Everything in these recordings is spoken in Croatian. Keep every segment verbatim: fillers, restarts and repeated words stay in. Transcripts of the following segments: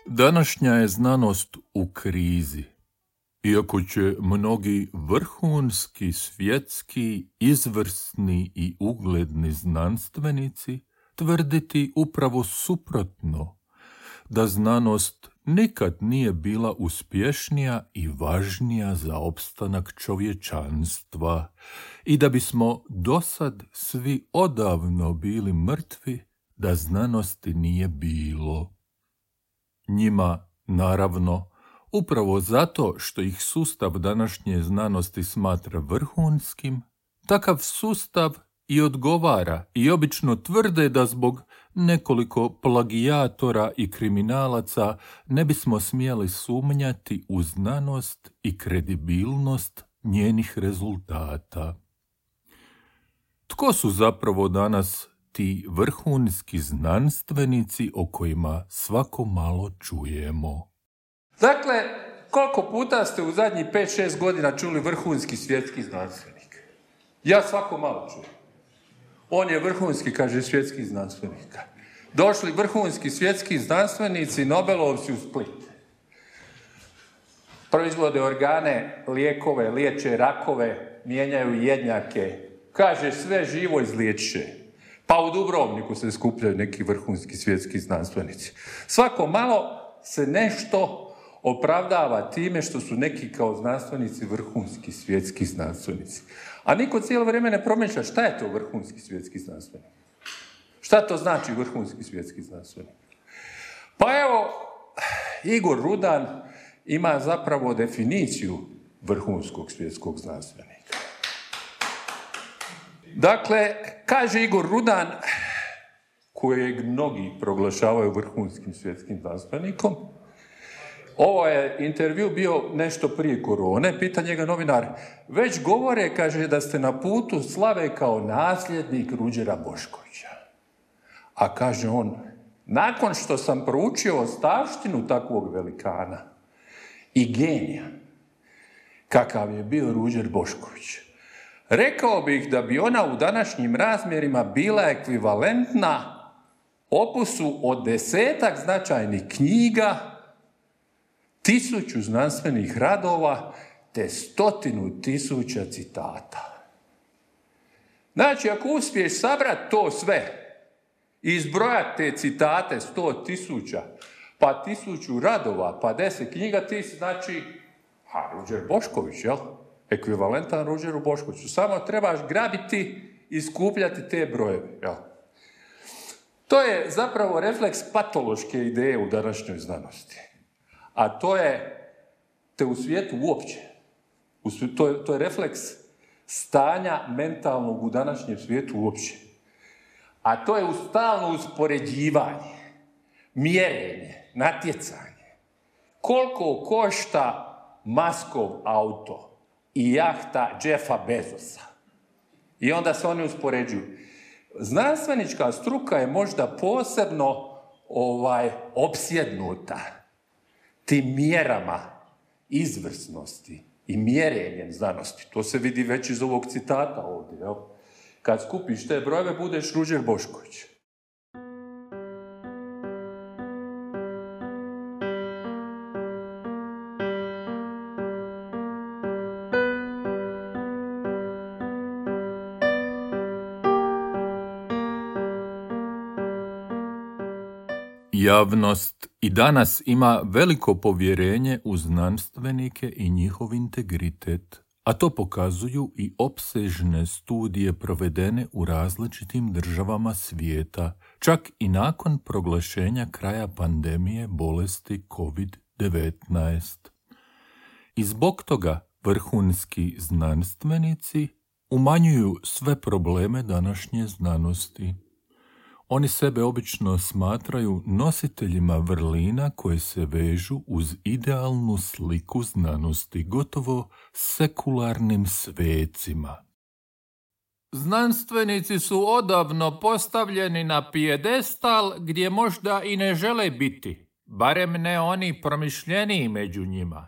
Današnja je znanost u krizi. Iako će mnogi vrhunski, svjetski, izvrsni i ugledni znanstvenici tvrditi upravo suprotno, da znanost nikad nije bila uspješnija i važnija za opstanak čovječanstva i da bismo dosad svi odavno bili mrtvi da znanosti nije bilo. Njima, naravno, upravo zato što ih sustav današnje znanosti smatra vrhunskim, takav sustav i odgovara i obično tvrde da zbog nekoliko plagijatora i kriminalaca ne bismo smjeli sumnjati u znanost i kredibilnost njenih rezultata. Tko su zapravo danas ti vrhunski znanstvenici o kojima svako malo čujemo? Dakle, koliko puta ste u zadnjih pet šest godina čuli vrhunski svjetski znanstvenik? Ja svako malo čujem. On je vrhunski, kaže, svjetski znanstvenik. Došli vrhunski svjetski znanstvenici, Nobelovci u Split. Proizvode organe, lijekove, liječe rakove, mijenjaju jednjake. Kaže, sve živo izliječiše. Pa u Dubrovniku se skupljaju neki vrhunski svjetski znanstvenici. Svako malo se nešto opravdava time što su neki kao znanstvenici vrhunski svjetski znanstvenici. A niko cijelo vrijeme ne promišlja šta je to vrhunski svjetski znanstvenik. Šta to znači vrhunski svjetski znanstvenik? Pa evo, Igor Rudan ima zapravo definiciju vrhunskog svjetskog znanstvenika. Dakle, kaže Igor Rudan, kojeg mnogi proglašavaju vrhunskim svjetskim znanstvenikom, ovo je intervju bio nešto prije korone, pita njega novinar, već govore, kaže, da ste na putu slave kao nasljednik Ruđera Boškovića. A kaže on, nakon što sam proučio ostavštinu takvog velikana i genija, kakav je bio Ruđer Bošković, rekao bih da bi ona u današnjim razmjerima bila ekvivalentna opusu od desetak značajnih knjiga, tisuću znanstvenih radova te stotinu tisuća citata. Znači, ako uspiješ sabrati to sve i izbrojati te citate sto tisuća, pa tisuću radova, pa deset knjiga, ti si, znači, ha, Ruđer Bošković, jel? Ekvivalentan Ruđeru Boškoviću. Samo trebaš grabiti i skupljati te brojeve, jel? To je zapravo refleks patološke ideje u današnjoj znanosti. A to je, te u svijetu uopće, u svijetu, to, je, to je refleks stanja mentalnog u današnjem svijetu uopće. A to je u stalno uspoređivanje, mjerenje, natjecanje. Koliko košta Muskov auto i jahta Jeffa Bezosa? I onda se oni uspoređuju. Znanstvenička struka je možda posebno ovaj, opsjednuta tim mjerama izvrsnosti i mjerenjem znanosti. To se vidi već iz ovog citata ovdje. Jel? Kad skupiš te brojeve, budeš Ruđer Bošković. Javnost i danas ima veliko povjerenje u znanstvenike i njihov integritet, a to pokazuju i opsežne studije provedene u različitim državama svijeta, čak i nakon proglašenja kraja pandemije bolesti kovid devetnaest. I zbog toga vrhunski znanstvenici umanjuju sve probleme današnje znanosti. Oni sebe obično smatraju nositeljima vrlina koje se vežu uz idealnu sliku znanosti, gotovo sekularnim svecima. Znanstvenici su odavno postavljeni na pijedestal gdje možda i ne žele biti, barem ne oni promišljeniji među njima.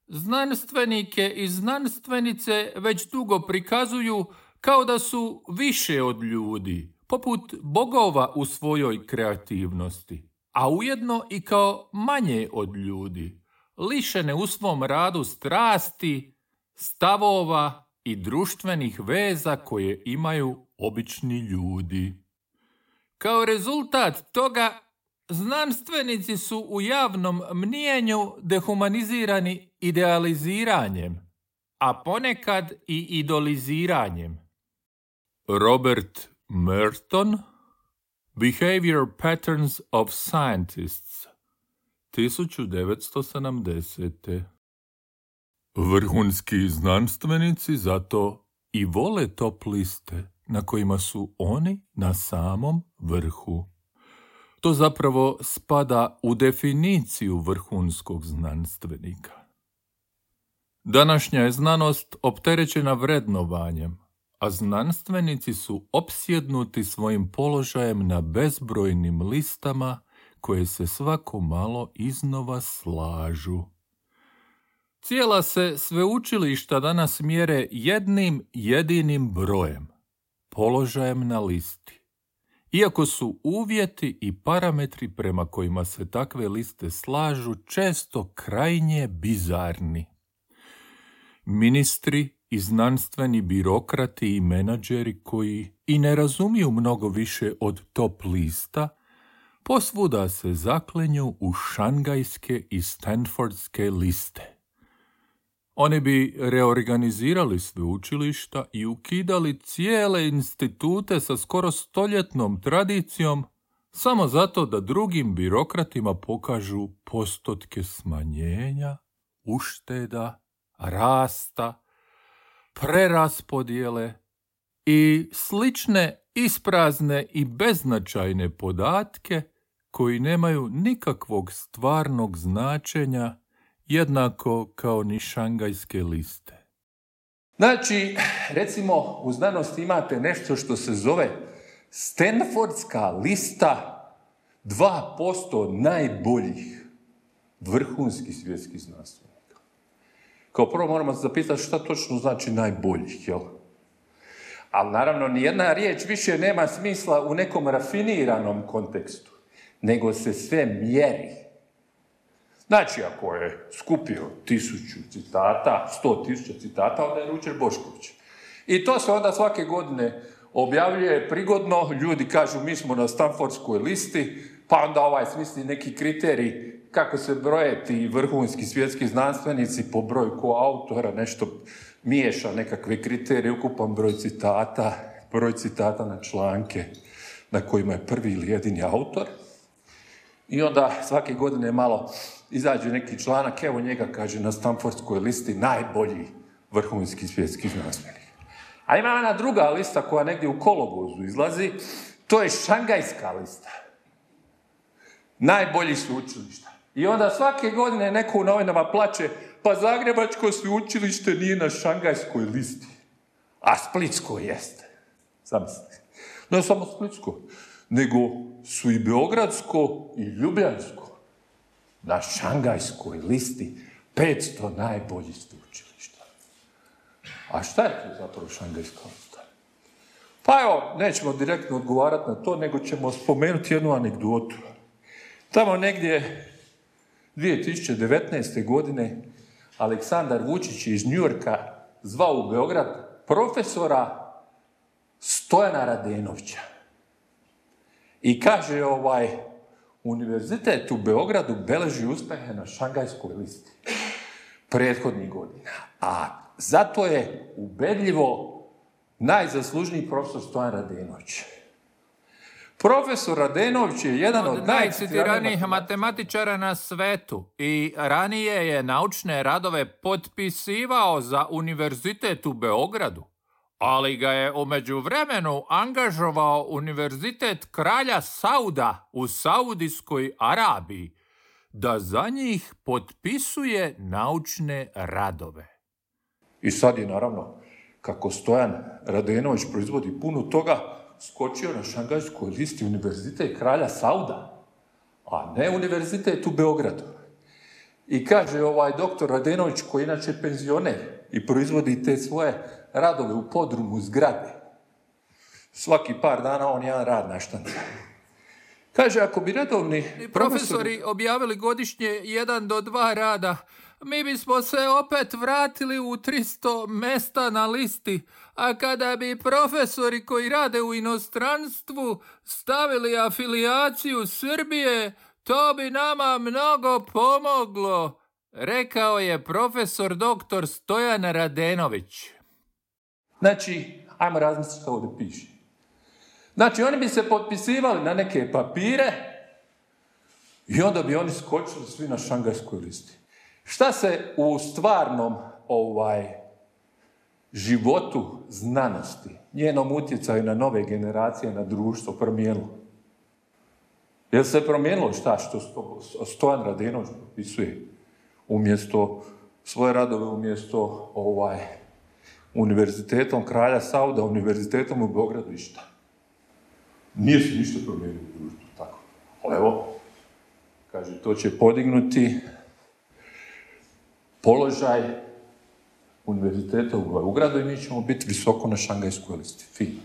Znanstvenike i znanstvenice već dugo prikazuju kao da su više od ljudi, poput bogova u svojoj kreativnosti. a ujedno i kao manje od ljudi, lišene u svom radu strasti, stavova i društvenih veza koje imaju obični ljudi. Kao rezultat toga, znanstvenici su u javnom mnijenju dehumanizirani idealiziranjem, a ponekad i idoliziranjem. Robert Merton, Behavior Patterns of Scientists, tisuću devetsto sedamdesete. Vrhunski znanstvenici zato i vole top liste na kojima su oni na samom vrhu. To zapravo spada u definiciju vrhunskog znanstvenika. Današnja je znanost opterećena vrednovanjem, a znanstvenici su opsjednuti svojim položajem na bezbrojnim listama koje se svako malo iznova slažu. Cijela se sveučilišta danas mjere jednim jedinim brojem, položajem na listi. Iako su uvjeti i parametri prema kojima se takve liste slažu često krajnje bizarni. Ministri i znanstveni birokrati i menadžeri koji i ne razumiju mnogo više od top lista, posvuda se zaklenju u šangajske i stanfordske liste. Oni bi reorganizirali sveučilišta i ukidali cijele institute sa skoro stoljetnom tradicijom samo zato da drugim birokratima pokažu postotke smanjenja, ušteda, rasta, preraspodjele i slične isprazne i beznačajne podatke koji nemaju nikakvog stvarnog značenja, jednako kao ni šangajske liste. Znači, recimo, u znanosti imate nešto što se zove Stanfordska lista dva posto najboljih vrhunskih svjetskih znanstvenika. Kao prvo moramo se zapitati šta točno znači najboljih, jel? Ali naravno, nijedna riječ više nema smisla u nekom rafiniranom kontekstu, nego se sve mjeri. Znači, ako je skupio tisuću citata, sto tisuća citata, onda je Ruđer Bošković. I to se onda svake godine objavljuje prigodno, ljudi kažu mi smo na Stanfordskoj listi, pa onda ovaj smisli neki kriterij kako se broje ti vrhunski svjetski znanstvenici po broju koautora, nešto miješa nekakve kriterije, ukupan broj citata, broj citata na članke na kojima je prvi ili jedini autor. I onda svake godine malo izađe neki članak, evo njega kaže na Stanfordskoj listi najbolji vrhunski svjetski znanstvenik. A ima ona druga lista koja negdje u kolovozu izlazi, to je šangajska lista. Najbolji sveučilišta. I onda svake godine neko u novinama plače, pa Zagrebačko sveučilište nije na šangajskoj listi, a Splitsko jeste. Zamislite. Ne samo Splitsko, nego su i Beogradsko i Ljubljansko na šangajskoj listi petsto najboljih sveučilišta. A šta je to zapravo šangajska lista? Pa evo, nećemo direktno odgovarati na to, nego ćemo spomenuti jednu anegdotu. Tamo negdje dvije tisuće devetnaeste. godine Aleksandar Vučić iz Njujorka zvao u Beograd profesora Stojana Radenovića. I kaže, ovaj, univerzitet u Beogradu beleži uspjehe na šangajskoj listi prethodnih godina. A zato je ubedljivo najzaslužniji profesor Stojan Radenović. Profesor Radenović je jedan od, od najcitiranijih matematičara na svetu i ranije je naučne radove potpisivao za univerzitet u Beogradu, ali ga je u međuvremenu angažovao Univerzitet kralja Sauda u Saudijskoj Arabiji da za njih potpisuje naučne radove. I sad je naravno, kako Stojan Radenović proizvodi puno toga, skočio na šangajskoj listi Univerzitet kralja Sauda, a ne Univerzitet u Beogradu. I kaže ovaj doktor Radenović, koji inače penzioner i proizvodi te svoje radove u podrumu zgrade. Svaki par dana on jedan rad naštanca. Kaže, ako bi redovni profesori, profesori objavili godišnje jedan do dva rada, mi bismo se opet vratili u tristo mesta na listi, a kada bi profesori koji rade u inostranstvu stavili afilijaciju Srbije, to bi nama mnogo pomoglo, rekao je profesor doktor Stojan Radenović. Znači, ajmo razmisliti što ovdje piše. Znači, oni bi se potpisivali na neke papire i onda bi oni skočili svi na šangajskoj listi. Šta se u stvarnom ovaj, životu znanosti, njenom utjecaju na nove generacije, na društvo promijenilo? Jel se promijenilo šta što Stojan Radenović potpisuje umjesto svoje radove, umjesto ovaj, univerzitetom kralja Sauda, univerzitetom u Beogradu i šta? Nije se ništa promijenilo u društvu, tako. Ali evo, kaže, to će podignuti položaj univerziteta u Beogradu i mi ćemo biti visoko na šangajskoj listi. Fino.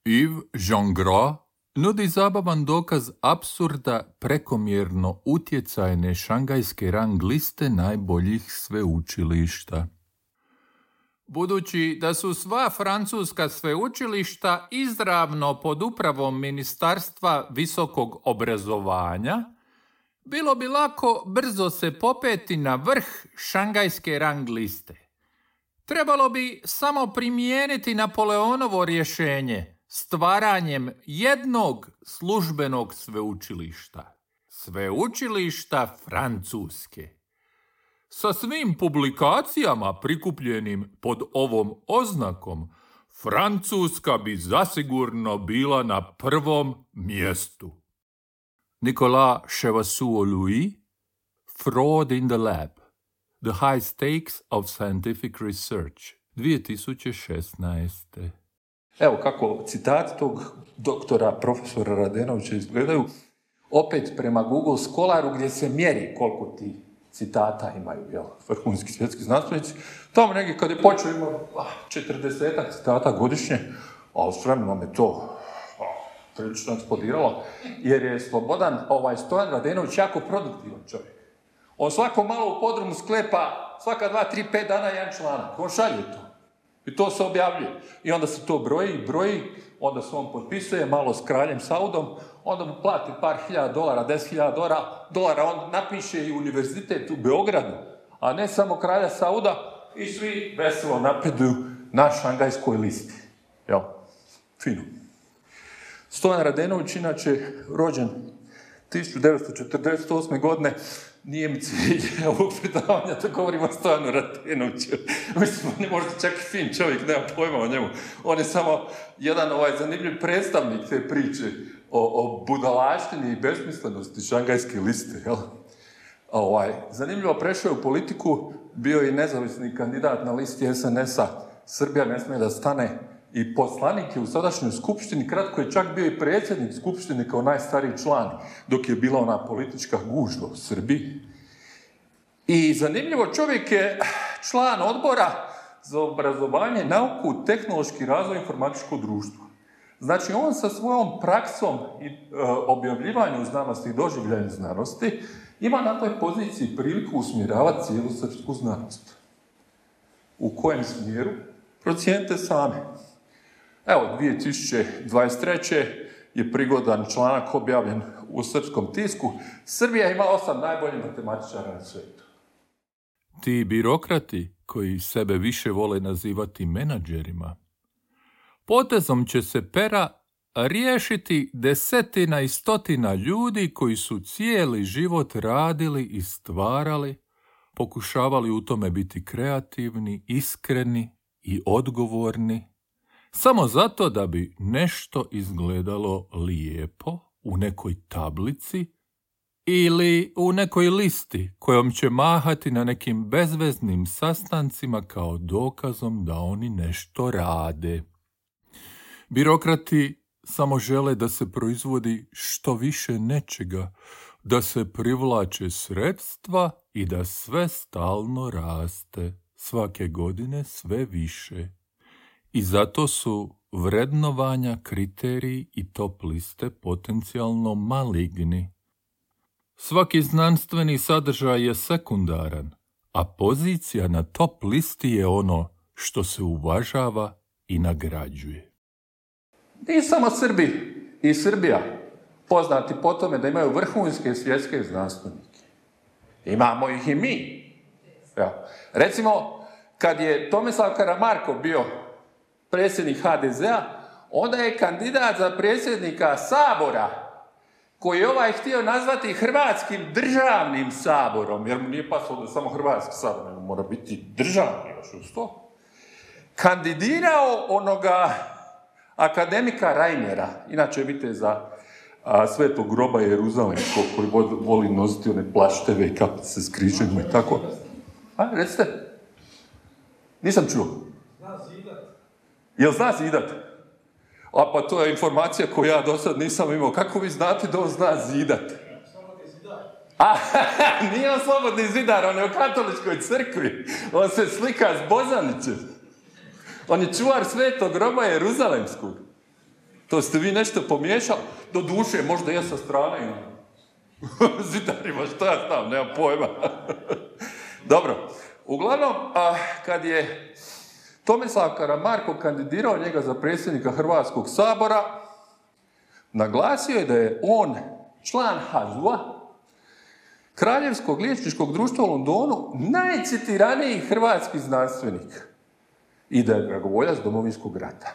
Yves Jean-Gras nudi zabavan dokaz apsurda prekomjerno utjecajne šangajske rang liste najboljih sveučilišta. Budući da su sva francuska sveučilišta izravno pod upravom Ministarstva visokog obrazovanja, bilo bi lako brzo se popeti na vrh šangajske rang liste. Trebalo bi samo primijeniti Napoleonovo rješenje stvaranjem jednog službenog sveučilišta. Sveučilišta Francuske. Sa svim publikacijama prikupljenim pod ovom oznakom, Francuska bi zasigurno bila na prvom mjestu. Nicolas Chevassus-Louis, Fraud in the Lab, The High Stakes of Scientific Research, dvije tisuće šesnaeste. Evo kako citati tog doktora, profesora Radenovića izgledaju, opet prema Google Scholaru gdje se mjeri koliko ti citata imaju, jel, vrhunski svjetski znanstvenici. Tamo negdje kad je počeo ima četrdesetak citata godišnje, a s vremenom je to prilično eksplodiralo, jer je Slobodan, ovaj Stojan Radenović, jako produktivan čovjek. On svako malo u podrumu sklepa, svaka dva, tri, pet dana jedan članak. On šalje to. I to se objavljuje. I onda se to broji, broji, onda se on potpisuje malo s kraljem Saudom, onda mu plati par hiljada dolara, deset hiljada dolara, dolara, on napiše i univerzitet u Beogradu, a ne samo kralja Sauda, i svi veselo napreduju na šangajskoj listi. Jel? Fino. Stojan Radenović, inače, rođen tisuću devetsto četrdeset osme. godine, nije mi cilj ovog predavanja da govorim o Stojanu Radenoviću. Mislim, on je možda čak i fin čovjek, nema pojma o njemu. On je samo jedan ovaj zanimljiv predstavnik te priče o, o budalaštini i besmislenosti šangajske liste. Jel? Ovaj, zanimljivo, prešao je u politiku, bio je nezavisni kandidat na listi es en es a. Srbija ne smije da stane, i poslanik je u sadašnjoj skupštini, kratko je čak bio i predsjednik skupštine kao najstariji član, dok je bila ona politička gužva u Srbiji. I zanimljivo, čovjek je član odbora za obrazovanje, nauku, tehnološki razvoj i informatičko društvo. Znači, on sa svojom praksom i e, objavljivanjem znanosti i doživljanjem znanosti ima na toj poziciji priliku usmjeravati cijelu srpsku znanost. U kojem smjeru? Procijenite sami. Evo, dvije tisuće dvadeset treće je prigodan članak objavljen u srpskom tisku. Srbija ima osam najboljih matematičara na svijetu. Ti birokrati, koji sebe više vole nazivati menadžerima, potezom će se pera riješiti desetina i stotina ljudi koji su cijeli život radili i stvarali, pokušavali u tome biti kreativni, iskreni i odgovorni, samo zato da bi nešto izgledalo lijepo u nekoj tablici ili u nekoj listi kojom će mahati na nekim bezveznim sastancima kao dokazom da oni nešto rade. Birokrati samo žele da se proizvodi što više nečega, da se privlače sredstva i da sve stalno raste, svake godine sve više. I zato su vrednovanja, kriteriji i top liste potencijalno maligni. Svaki znanstveni sadržaj je sekundaran, a pozicija na top listi je ono što se uvažava i nagrađuje. Nije samo Srbi i Srbija poznati po tome da imaju vrhunske svjetske znanstvenike. Imamo ih i mi. Ja. Recimo, kad je Tomislav Karamarko bio predsjednik ha de zea, onda je kandidat za predsjednika Sabora, koji je ovaj htio nazvati Hrvatskim državnim saborom, jer mu nije pasalo da samo Hrvatski sabor, nego mora biti državni još uz to, kandidirao onoga akademika Reinera, inače vidite za a, Svetog groba Jeruzalemskog, koji voli nositi one plašteve i kapice s križima i tako. A, recite? Nisam čuo. Zna zidat. Jel zna zidat? A pa to je informacija koju ja do sad nisam imao. Kako vi znate da on zna zidat? Slobodni zidar. A, nije on slobodni zidar, on je u katoličkoj crkvi. On se slika s Bozanićem. On je čuvar Svetog groba Jeruzalemskog. To ste vi nešto pomiješali? Do duše, možda ja sa strane. Zidarima, što ja znam, nemam pojma. Dobro, uglavnom, a, kad je Tomislav Karamarko kandidirao njega za predsjednika Hrvatskog sabora, naglasio je da je on član ha z u-a, Kraljevskog liječničkog društva u Londonu, najcitiraniji hrvatski znanstvenik i da je dragovoljac Domovinskog rata.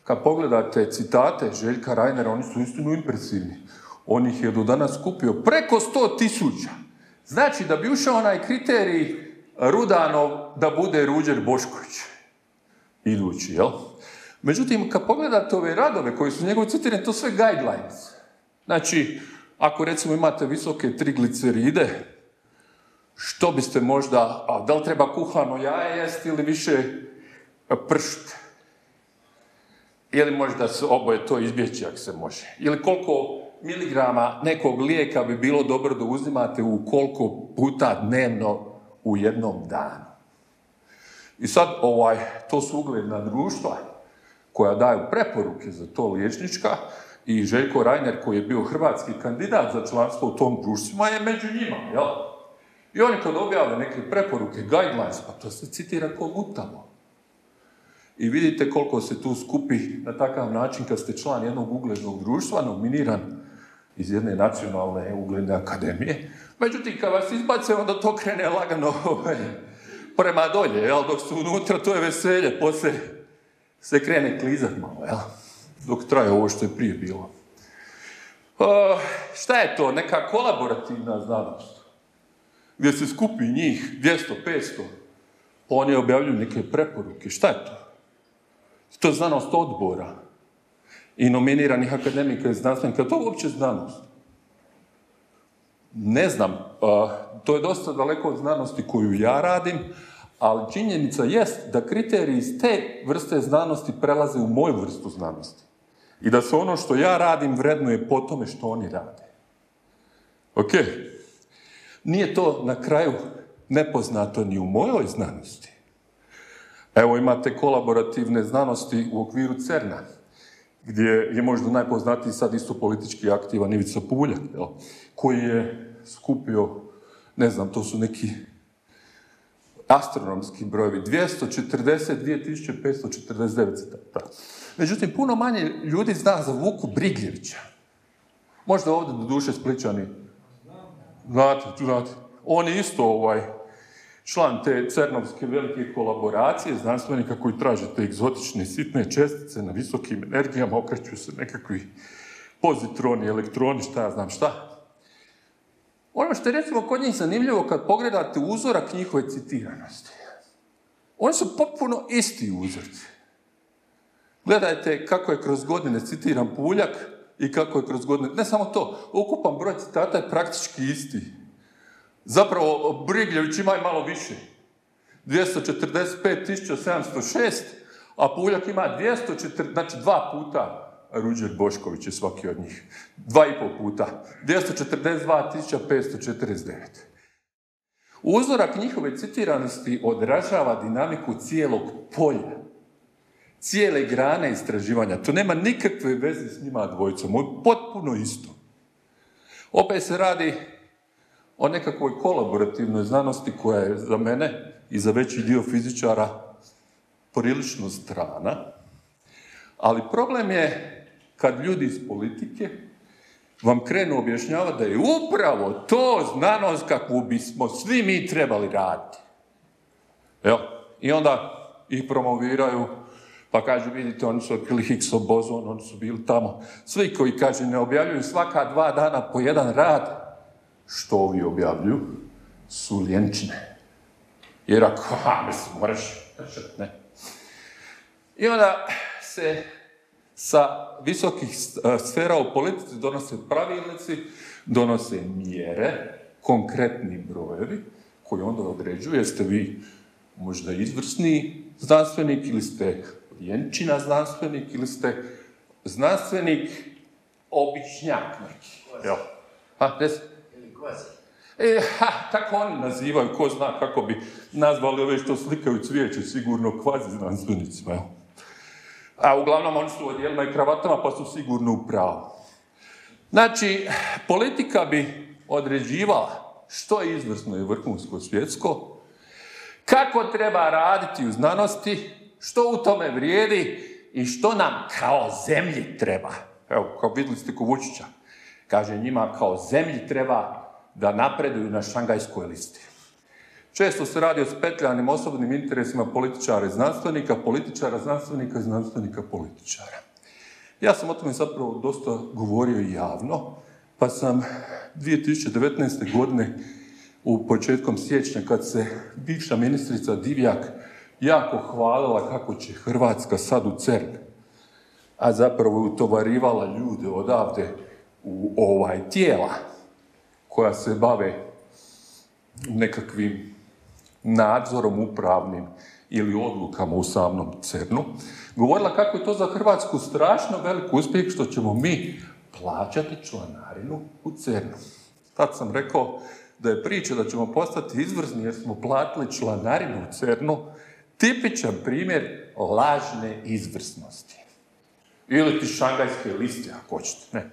Kad pogledate citate Željka Reinera, oni su istinu impresivni. On ih je do danas skupio preko sto tisuća. Znači da bi ušao onaj kriterij Rudanov da bude Ruđer Bošković. Idući, jel? Međutim, kad pogledate ove radove koji su njegovi citirani, to sve guidelines. Znači, ako recimo imate visoke trigliceride, što biste možda, a da li treba kuhano jaje jesti ili više pršut? Ili možda se oboje to izbjeći ako se može? Ili koliko miligrama nekog lijeka bi bilo dobro da uzimate u koliko puta dnevno u jednom danu? I sad, ovaj, to su ugledna društva koja daju preporuke za to liječnička i Željko Reiner, koji je bio hrvatski kandidat za članstvo u tom društvima, je među njima, jel? I oni kad objave neke preporuke, guidelines, pa to se citira ko gutamo. I vidite koliko se tu skupi na takav način kad ste član jednog uglednog društva, nominiran iz jedne nacionalne ugledne akademije. Međutim, kad vas izbace, onda to krene lagano prema dolje, jel? Dok su unutra, to je veselje, poslije se krene klizat malo, jel? Dok traje ovo što je prije bilo. Uh, šta je to? Neka kolaborativna znanost, gdje se skupi njih dvjesto petsto, oni objavljuju neke preporuke. Šta je to? To je znanost odbora i nominiranih akademika i znanstvenika. To je uopće znanost. Ne znam, uh, to je dosta daleko od znanosti koju ja radim, ali činjenica jest da kriteriji iz te vrste znanosti prelaze u moju vrstu znanosti. I da se ono što ja radim vrednuje po tome što oni rade. Ok. Nije to na kraju nepoznato ni u mojoj znanosti. Evo imate kolaborativne znanosti u okviru cerna, gdje je možda najpoznatiji sad isto politički aktivan Ivica Puljak, jel? Koji je skupio, ne znam, to su neki astronomski brojevi, dvjesto četrdeset dvije tisuće petsto četrdeset devet citata. Međutim, puno manje ljudi zna za Vuku Brigljevića. Možda ovdje do duše Splićani. Znate, znate. On je isto ovaj, član te cernovske velike kolaboracije, znanstvenika koji traže te egzotične sitne čestice na visokim energijama, okreću se nekakvi pozitroni, elektroni, šta ja znam šta. Ono što je recimo kod njih zanimljivo kad pogledate uzorak njihove citiranosti. Oni su potpuno isti uzorci. Gledajte kako je kroz godine citiran Puljak i kako je kroz godine... Ne samo to, ukupan broj citata je praktički isti. Zapravo, Brigljević ima i malo više. dvjesto četrdeset pet tisuća sedamsto šest, a Puljak ima dvjesto četrdeset, znači dva puta Ruđer Bošković je svaki od njih. Dva i pol puta. dvjesto četrdeset dva tisuća petsto četrdeset devet. Uzorak njihove citiranosti odražava dinamiku cijelog polja. cijele grane istraživanja. To nema nikakve veze s njima dvojicom. Ovo je potpuno isto. Opet se radi o nekakvoj kolaborativnoj znanosti koja je za mene i za veći dio fizičara prilično strana. Ali problem je kad ljudi iz politike vam krenu objašnjavati da je upravo to znanost kakvu bismo svi mi trebali raditi. Evo, i onda ih promoviraju, pa kaže, vidite, oni su otkrili Higgsov bozon, oni su bili tamo. Svi koji, kaže, ne objavljuju svaka dva dana po jedan rad, što ovi objavljuju, su ljenčine. Jer ako, ha, mislim, moraš, ne. I onda se sa visokih sfera u politici donose pravilnici, donose mjere, konkretni brojevi, koji onda određuju jeste vi možda izvrsni znanstvenik ili ste ljenčina znanstvenik ili ste znanstvenik običnjak neki. Jel? Ha, des? Ili kvazi. E, ha, tako oni nazivaju, ko zna kako bi nazvali ove što slikaju cvijeće, sigurno kvazi znanstvenicima, jel? A uglavnom oni su u odjelima i kravatama, pa su sigurno u pravu. Znači, politika bi određivala što je izvrsno i vrhunsko svjetsko, kako treba raditi u znanosti, što u tome vrijedi i što nam kao zemlji treba. Evo, kao vidjeli ste ko Vučića. Kaže, njima kao zemlji treba da napreduju na šangajskoj listi. Često se radi o spetljanim osobnim interesima političara i znanstvenika, političara, znanstvenika i znanstvenika političara. Ja sam o tome zapravo dosta govorio i javno, pa sam dvije tisuće devetnaeste. godine u početkom siječnja, kad se bivša ministrica Divjak jako hvalila kako će Hrvatska sad u CERN, a zapravo je utovarivala ljude odavde u ovaj tijela koja se bave nekakvim nadzorom upravnim ili odlukama u samom CERN-u, govorila kako je to za Hrvatsku strašno velik uspjeh što ćemo mi plaćati članarinu u CERN-u. Tad sam rekao da je priča da ćemo postati izvrsni jer smo platili članarinu u CERN-u tipičan primjer lažne izvrsnosti. Ili ti šangajske liste, ako hoćete, ne.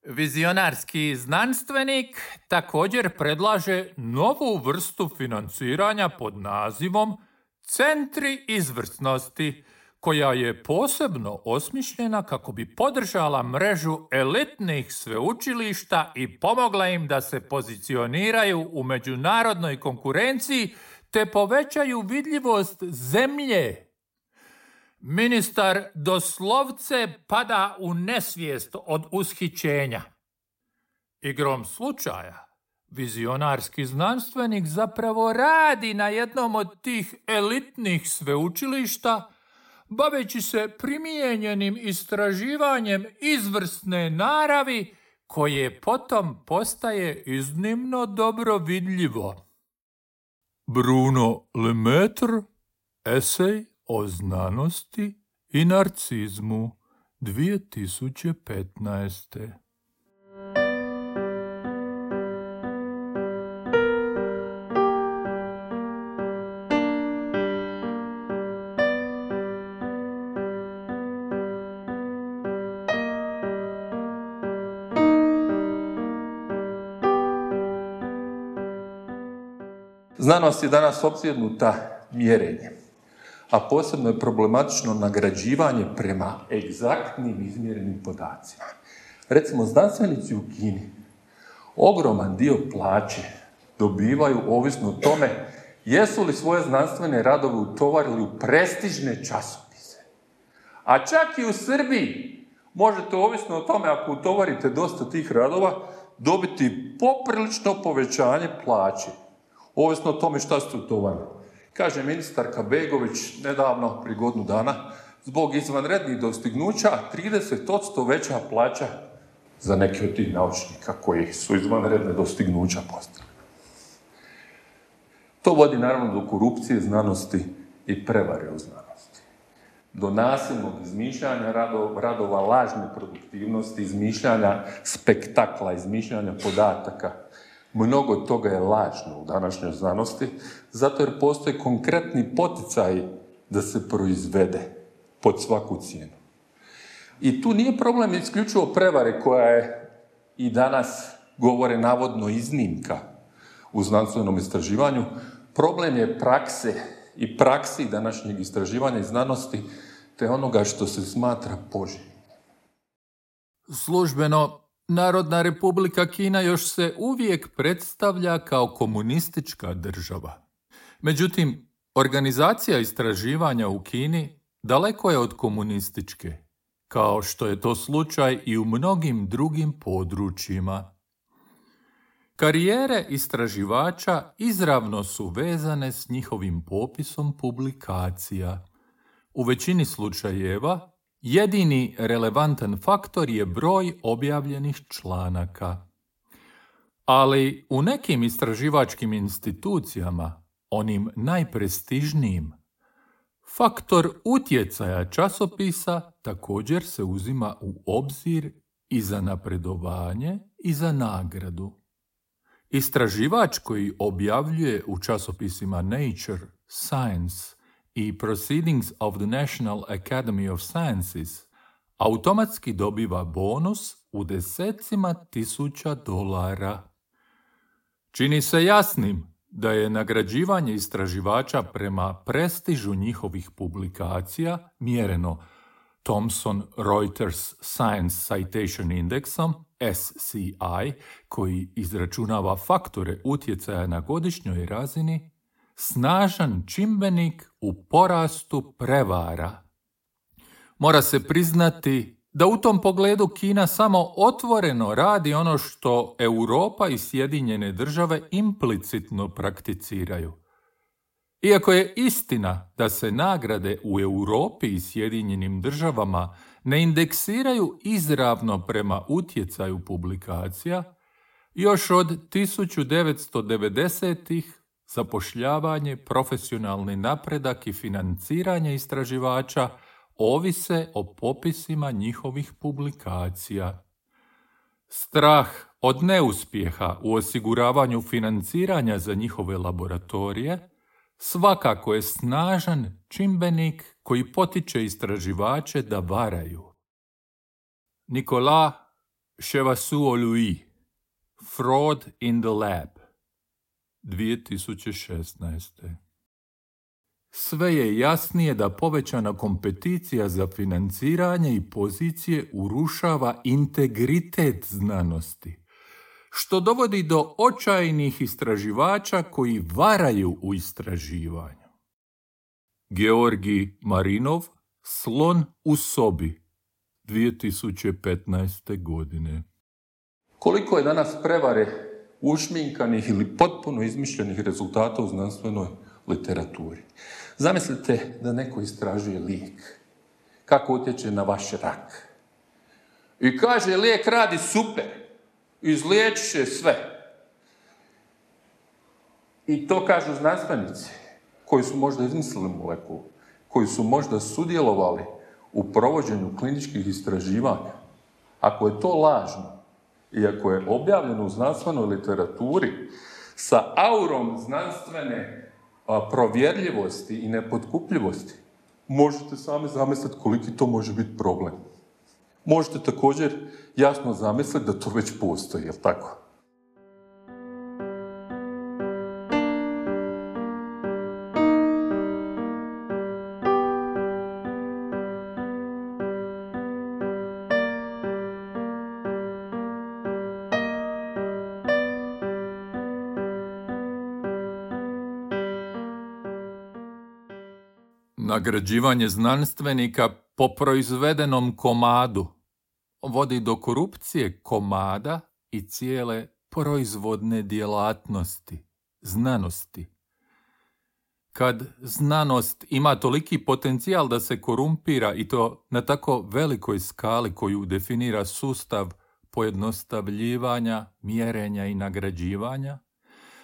Vizionarski znanstvenik također predlaže novu vrstu financiranja pod nazivom Centri izvrsnosti, koja je posebno osmišljena kako bi podržala mrežu elitnih sveučilišta i pomogla im da se pozicioniraju u međunarodnoj konkurenciji te povećaju vidljivost zemlje. Ministar doslovce pada u nesvijest od ushićenja. Igrom slučaja, vizionarski znanstvenik zapravo radi na jednom od tih elitnih sveučilišta, baveći se primijenjenim istraživanjem izvrsne naravi, koje potom postaje iznimno dobro vidljivo. Bruno Lemaitre, esej o znanosti i narcizmu, dvije tisuće petnaeste. Znanost je danas opsjednuta mjerenjem, a posebno je problematično nagrađivanje prema egzaktnim izmjerenim podacima. Recimo, znanstvenici u Kini ogroman dio plaće dobivaju ovisno o tome jesu li svoje znanstvene radove utovarili u prestižne časopise. A čak i u Srbiji možete, ovisno o tome, ako utovarite dosta tih radova, dobiti poprilično povećanje plaće, ovisno o tome šta ste utovarili. Kaže ministarka Begović nedavno, prije godinu dana, zbog izvanrednih dostignuća trideset posto veća plaća za neke od tih naučnika koji su izvanredne dostignuća postavili. To vodi naravno do korupcije znanosti i prevare u znanosti. Do nasilnog izmišljanja radova, radova lažne produktivnosti, izmišljanja spektakla, izmišljanja podataka. Mnogo toga je lažno u današnjoj znanosti, zato jer postoje konkretni poticaji da se proizvede pod svaku cijenu. I tu nije problem isključivo prevare koja je i danas govore navodno iznimka u znanstvenom istraživanju. Problem je prakse i praksi današnjeg istraživanja i znanosti te onoga što se smatra poželjnim. Službeno, Narodna Republika Kina još se uvijek predstavlja kao komunistička država. Međutim, organizacija istraživanja u Kini daleko je od komunističke, kao što je to slučaj i u mnogim drugim područjima. Karijere istraživača izravno su vezane s njihovim popisom publikacija. U većini slučajeva jedini relevantan faktor je broj objavljenih članaka. Ali u nekim istraživačkim institucijama, onim najprestižnijim, faktor utjecaja časopisa također se uzima u obzir i za napredovanje i za nagradu. Istraživač koji objavljuje u časopisima Nature, Science i Proceedings of the National Academy of Sciences automatski dobiva bonus u desecima tisuća dolara. Čini se jasnim da je nagrađivanje istraživača prema prestižu njihovih publikacija mjereno Thomson Reuters Science Citation Indexom, S C I, koji izračunava faktore utjecaja na godišnjoj razini, snažan čimbenik u porastu prevara. Mora se priznati da u tom pogledu Kina samo otvoreno radi ono što Europa i Sjedinjene države implicitno prakticiraju. Iako je istina da se nagrade u Europi i Sjedinjenim državama ne indeksiraju izravno prema utjecaju publikacija, još od tisuću devetsto devedesetih zapošljavanje, profesionalni napredak i financiranje istraživača ovise o popisima njihovih publikacija. Strah od neuspjeha u osiguravanju financiranja za njihove laboratorije svakako je snažan čimbenik koji potiče istraživače da varaju. Nicolas Chevassus-Louis, Fraud in the Lab, dvije tisuće šesnaeste. Sve je jasnije da povećana kompeticija za financiranje i pozicije urušava integritet znanosti, što dovodi do očajnih istraživača koji varaju u istraživanju. Georgi Marinov, Slon u sobi, dvije tisuće petnaeste. godine. Koliko je danas prevare ušminkanih ili potpuno izmišljenih rezultata u znanstvenoj literaturi. Zamislite da neko istražuje lijek. Kako utječe na vaš rak. I kaže, lijek radi super. Izliječit će sve. I to kažu znanstvenici koji su možda izmislili molekulu, koji su možda sudjelovali u provođenju kliničkih istraživanja. Ako je to lažno i ako je objavljeno u znanstvenoj literaturi sa aurom znanstvene a, provjerljivosti i nepotkupljivosti, možete sami zamisliti koliki to može biti problem. Možete također jasno zamisliti da to već postoji, jel' tako? Nagrađivanje znanstvenika po proizvedenom komadu vodi do korupcije komada i cijele proizvodne djelatnosti, znanosti. Kad znanost ima toliki potencijal da se korumpira i to na tako velikoj skali koju definira sustav pojednostavljivanja, mjerenja i nagrađivanja,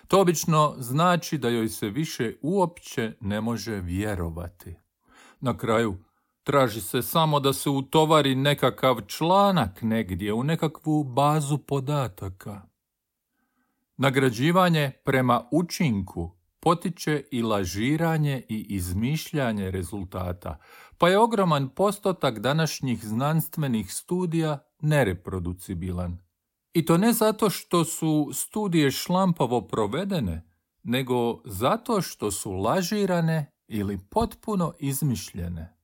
to obično znači da joj se više uopće ne može vjerovati. Na kraju, traži se samo da se utovari nekakav članak negdje u nekakvu bazu podataka. Nagrađivanje prema učinku potiče i lažiranje i izmišljanje rezultata, pa je ogroman postotak današnjih znanstvenih studija nereproducibilan. I to ne zato što su studije šlampavo provedene, nego zato što su lažirane ili potpuno izmišljene.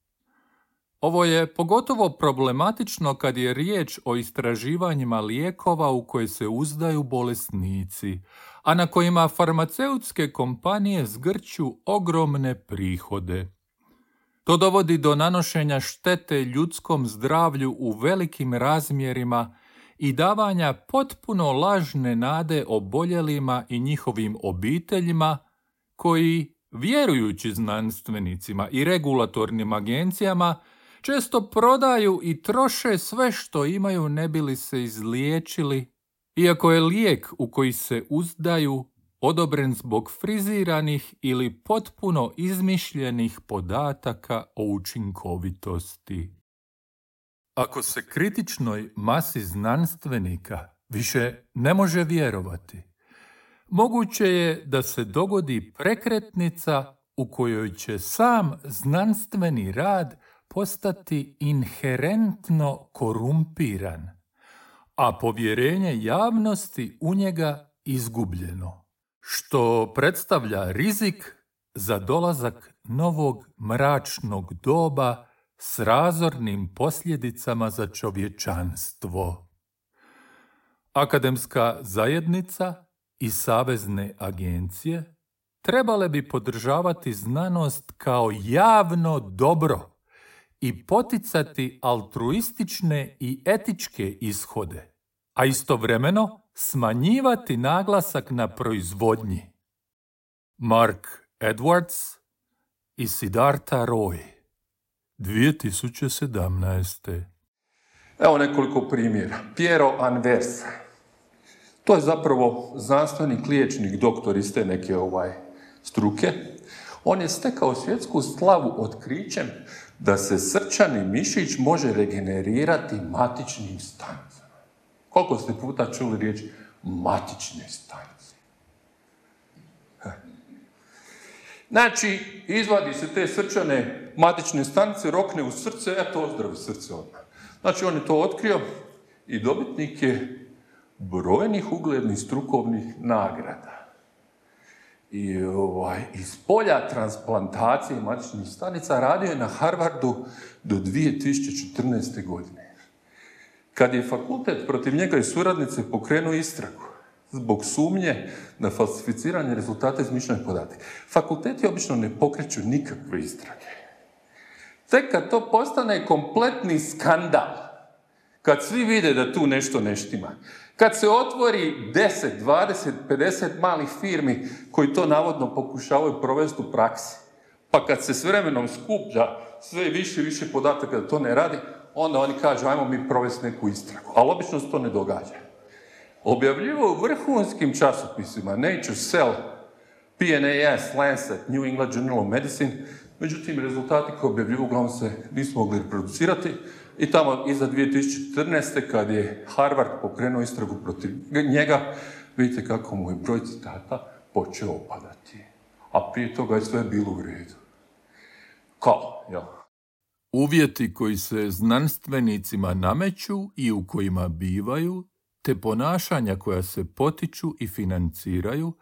Ovo je pogotovo problematično kad je riječ o istraživanjima lijekova u koje se uzdaju bolesnici, a na kojima farmaceutske kompanije zgrću ogromne prihode. To dovodi do nanošenja štete ljudskom zdravlju u velikim razmjerima i davanja potpuno lažne nade oboljelima i njihovim obiteljima, koji, vjerujući znanstvenicima i regulatornim agencijama, često prodaju i troše sve što imaju ne bi li se izliječili, iako je lijek u koji se uzdaju odobren zbog friziranih ili potpuno izmišljenih podataka o učinkovitosti. Ako se kritičnoj masi znanstvenika više ne može vjerovati, moguće je da se dogodi prekretnica u kojoj će sam znanstveni rad postati inherentno korumpiran, a povjerenje javnosti u njega izgubljeno, što predstavlja rizik za dolazak novog mračnog doba s razornim posljedicama za čovječanstvo. Akademska zajednica i savezne agencije trebale bi podržavati znanost kao javno dobro i poticati altruistične i etičke ishode, a istovremeno smanjivati naglasak na proizvodnji. Mark Edwards i Siddhartha Roy, dvije tisuće sedamnaeste. Evo nekoliko primjera. Piero Anversa. To je zapravo znanstvenik, liječnik, doktor iz te neke ovaj, struke. On je stekao svjetsku slavu otkrićem da se srčani mišić može regenerirati matičnim stanicama. Koliko ste puta čuli riječ matične stanice? Znači, izvadi se te srčane matične stanice, rokne u srce, eto ozdravi srce odmah. Znači, on je to otkrio i dobitnik je brojnih uglednih strukovnih nagrada. I ovaj, iz polja transplantacije matičnih stanica radio je na Harvardu do dvije tisuće četrnaeste. godine. Kad je fakultet protiv njega i suradnice pokrenuo istragu zbog sumnje na falsificiranje rezultata izmišljenih podataka. Fakulteti obično ne pokreću nikakve istrage. Tek kad to postane kompletni skandal, kad svi vide da tu nešto ne štima, kad se otvori deset, dvadeset, pedeset malih firmi koji to navodno pokušavaju provesti u praksi, pa kad se s vremenom skuplja sve više i više podataka da to ne radi, onda oni kažu ajmo mi provesti neku istragu. Ali obično se to ne događa. Objavljivo u vrhunskim časopisima Nature, Cell, P N A S, Lancet, New England Journal of Medicine, međutim rezultati koje objavljivo uglavnom se nisu mogli reproducirati i tamo iza dvije tisuće četrnaeste. kad je Harvard pokrenuo istragu protiv njega, vidite kako mu je broj citata počeo opadati. A prije toga je sve bilo u redu. Kao, jel? Uvjeti koji se znanstvenicima nameću i u kojima bivaju, te ponašanja koja se potiču i financiraju,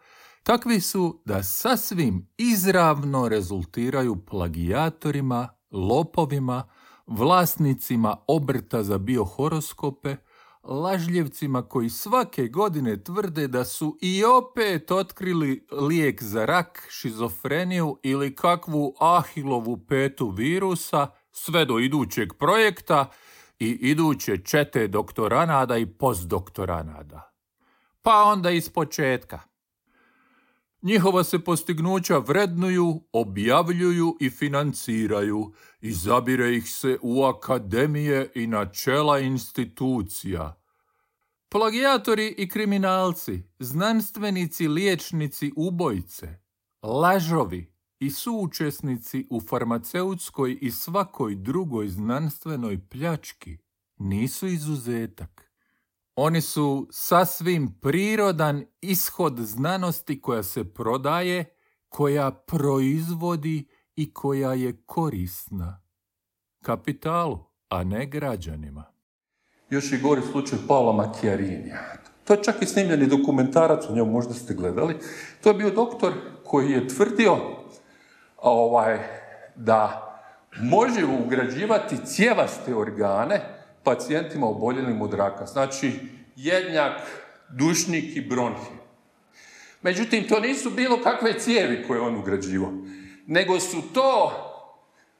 takvi su da sasvim izravno rezultiraju plagijatorima, lopovima, vlasnicima obrta za biohoroskope, lažljivcima koji svake godine tvrde da su i opet otkrili lijek za rak, šizofreniju ili kakvu Ahilovu petu virusa, sve do idućeg projekta i iduće čete doktoranada i postdoktoranada. Pa onda iz početka. Njihova se postignuća vrednuju, objavljuju i financiraju, izabire ih se u akademije i na čela institucija. Plagijatori i kriminalci, znanstvenici, liječnici, ubojice, lažovi i suučesnici u farmaceutskoj i svakoj drugoj znanstvenoj pljački nisu izuzetak. Oni su sasvim prirodan ishod znanosti koja se prodaje, koja proizvodi i koja je korisna kapitalu, a ne građanima. Još i gori slučaj Paola Macchiarinija. To je čak i snimljeni dokumentarac, o njemu možda ste gledali. To je bio doktor koji je tvrdio ovaj, da može ugrađivati cijevaste organe pacijentima oboljelim od raka. Znači, jednjak, dušnik i bronhi. Međutim, to nisu bilo kakve cijevi koje on ugrađivao, nego su to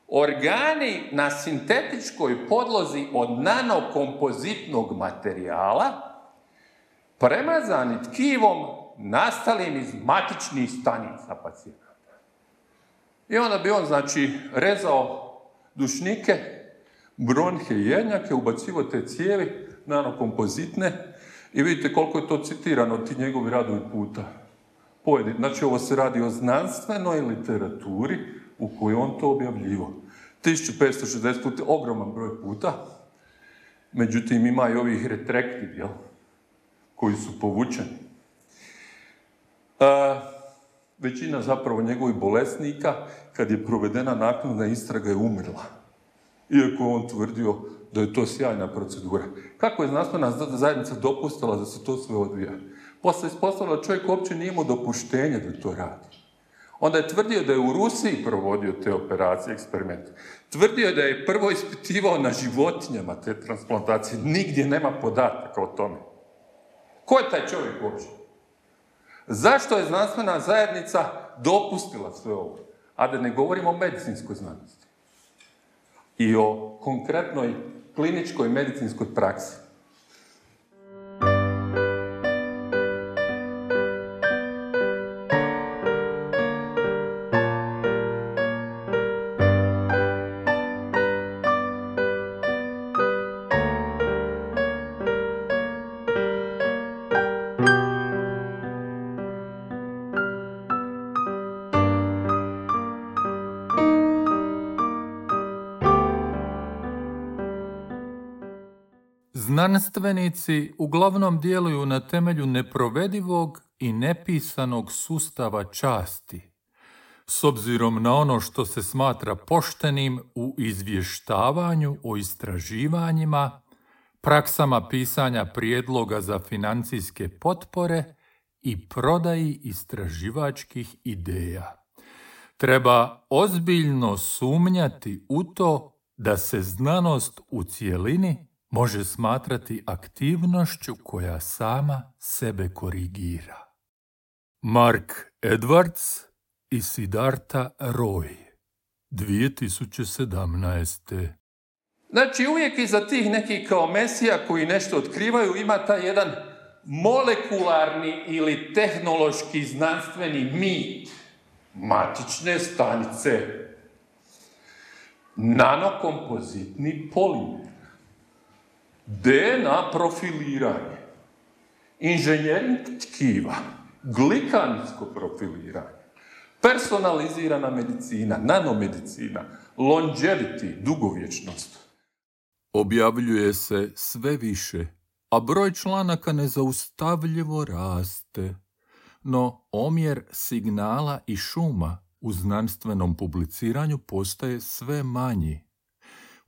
organi na sintetičkoj podlozi od nanokompozitnog materijala, premazani tkivom nastalim iz matičnih stanica pacijenata. I onda bi on, znači, rezao dušnike, bronhe i jednjake, ubacivo te cijevi, nanokompozitne, i vidite koliko je to citirano, ti njegovi radovi puta. Pojedin. Znači, ovo se radi o znanstvenoj literaturi u kojoj on to objavljivo. tisuću petsto šezdeset puta, ogroman broj puta. Međutim, ima i ovih retrektiv, jel? Koji su povučeni. E, većina zapravo njegovih bolesnika, kad je provedena naknadna istraga, je umrla. Iako je on tvrdio da je to sjajna procedura. Kako je znanstvena zajednica dopustila da se to sve odvija? Posle ispostavilo da čovjek uopće nije imao dopuštenje da to radi. Onda je tvrdio da je u Rusiji provodio te operacije, eksperimente. Tvrdio je da je prvo ispitivao na životinjama te transplantacije. Nigdje nema podataka o tome. Ko je taj čovjek uopće? Zašto je znanstvena zajednica dopustila sve ovo? A da ne govorimo o medicinskoj znanosti. I o konkretnoj kliničkoj medicinskoj praksi. Znanstvenici uglavnom djeluju na temelju neprovedivog i nepisanog sustava časti, s obzirom na ono što se smatra poštenim u izvještavanju o istraživanjima, praksama pisanja prijedloga za financijske potpore i prodaji istraživačkih ideja. Treba ozbiljno sumnjati u to da se znanost u cjelini može smatrati aktivnošću koja sama sebe korigira. Mark Edwards i Siddhartha Roy, dvije tisuće sedamnaeste. Znači, uvijek iza tih nekih kao mesija koji nešto otkrivaju ima taj jedan molekularni ili tehnološki znanstveni mit. Matične stanice. Nanokompozitni polimer. D N A profiliranje, inženjering tkiva, glikansko profiliranje, personalizirana medicina, nanomedicina, longevity, dugovječnost. Objavljuje se sve više, a broj članaka nezaustavljivo raste. No omjer signala i šuma u znanstvenom publiciranju postaje sve manji.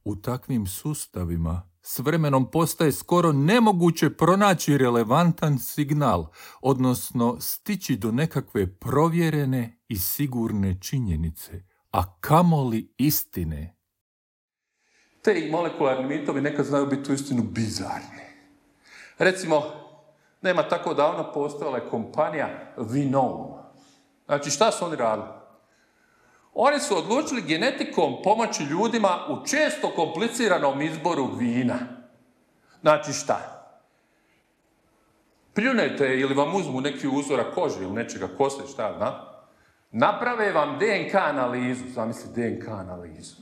U takvim sustavima s vremenom postaje skoro nemoguće pronaći relevantan signal, odnosno stići do nekakve provjerene i sigurne činjenice, a kamoli istine. Te molekularni mitovi nekad znaju biti uistinu bizarni. Recimo, nema tako davno postojala je kompanija Vinome. Znači, šta su oni radili? Oni su odlučili genetikom pomoći ljudima u često kompliciranom izboru vina. Znači šta? Pljunete ili vam uzmu neki uzorak kože ili nečega kose, šta zna? Naprave vam D N K analizu, zamisli D N K analizu.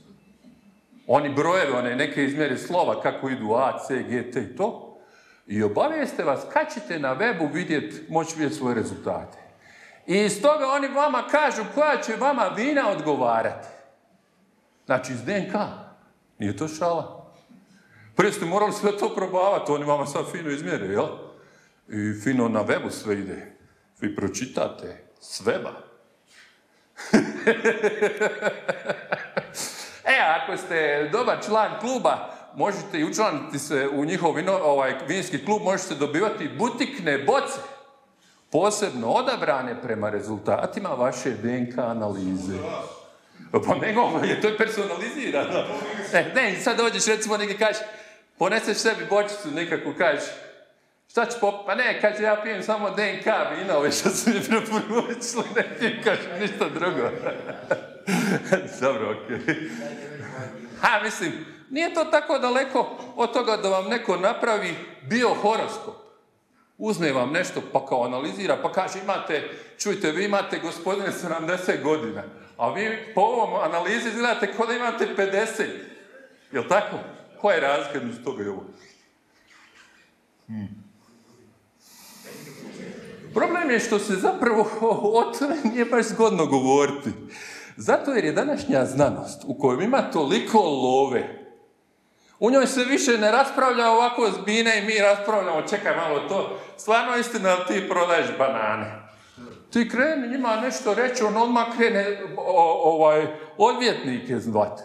Oni brojeve, one neke izmjere slova, kako idu A, C, G, T i to, i obavijeste vas kad ćete na webu vidjeti, moći vidjeti svoje rezultate. I iz toga oni vama kažu koja će vama vina odgovarati. Znači, iz D N K. Nije to šala. Prije ste morali sve to probavati, oni vama sad fino izmjere, jel? I fino na webu sve ide. Vi pročitate s weba. E, ako ste dobar član kluba, možete i učlaniti se u njihov vino, ovaj, vinski klub, možete dobivati butikne boce, posebno odabrane prema rezultatima vaše D N K analize. Pa nego, to je personalizirano. E, ne, sad dođeš, recimo, neki kažeš, poneseš sebi bočicu nekako, kažeš, šta ću popiti? Pa ne, kaže, ja pijem samo D N K vina, ove što su mi preporučili, ne pijem, kaže, ništa drugo. Dobro, okej. Okay. Ha, mislim, nije to tako daleko od toga da vam neko napravi biohoroskop. Uzme vam nešto, pa kao analizira, pa kaže, imate, čujte, vi imate, gospodine, sedamdeset godina, a vi po ovom analizi izgledate kao da imate pedeset. Jel' tako? Koja je razlika između toga i ovo? Hmm. Problem je što se zapravo o tome nije baš zgodno govoriti. Zato jer je današnja znanost, u kojoj ima toliko love, u njoj se više ne raspravlja ovako zbine i mi raspravljamo, čekaj malo to, stvarno istina da ti prodaješ banane. Ti kreni njima nešto reći, on odmah krene o, ovaj, odvjetnike zvati.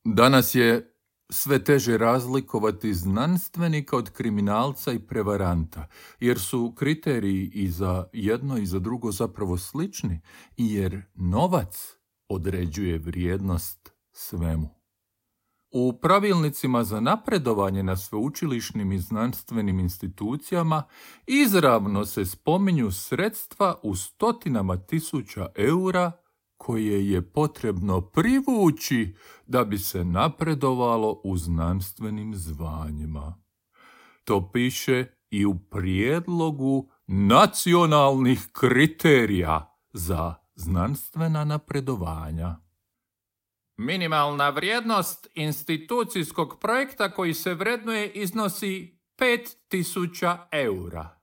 Danas je sve teže razlikovati znanstvenika od kriminalca i prevaranta, jer su kriteriji i za jedno i za drugo zapravo slični, i jer novac određuje vrijednost svemu. U pravilnicima za napredovanje na sveučilišnim i znanstvenim institucijama izravno se spominju sredstva u stotinama tisuća eura koje je potrebno privući da bi se napredovalo u znanstvenim zvanjima. To piše i u prijedlogu nacionalnih kriterija za znanstvena napredovanja. Minimalna vrijednost institucijskog projekta koji se vrednuje iznosi pet tisuća eura.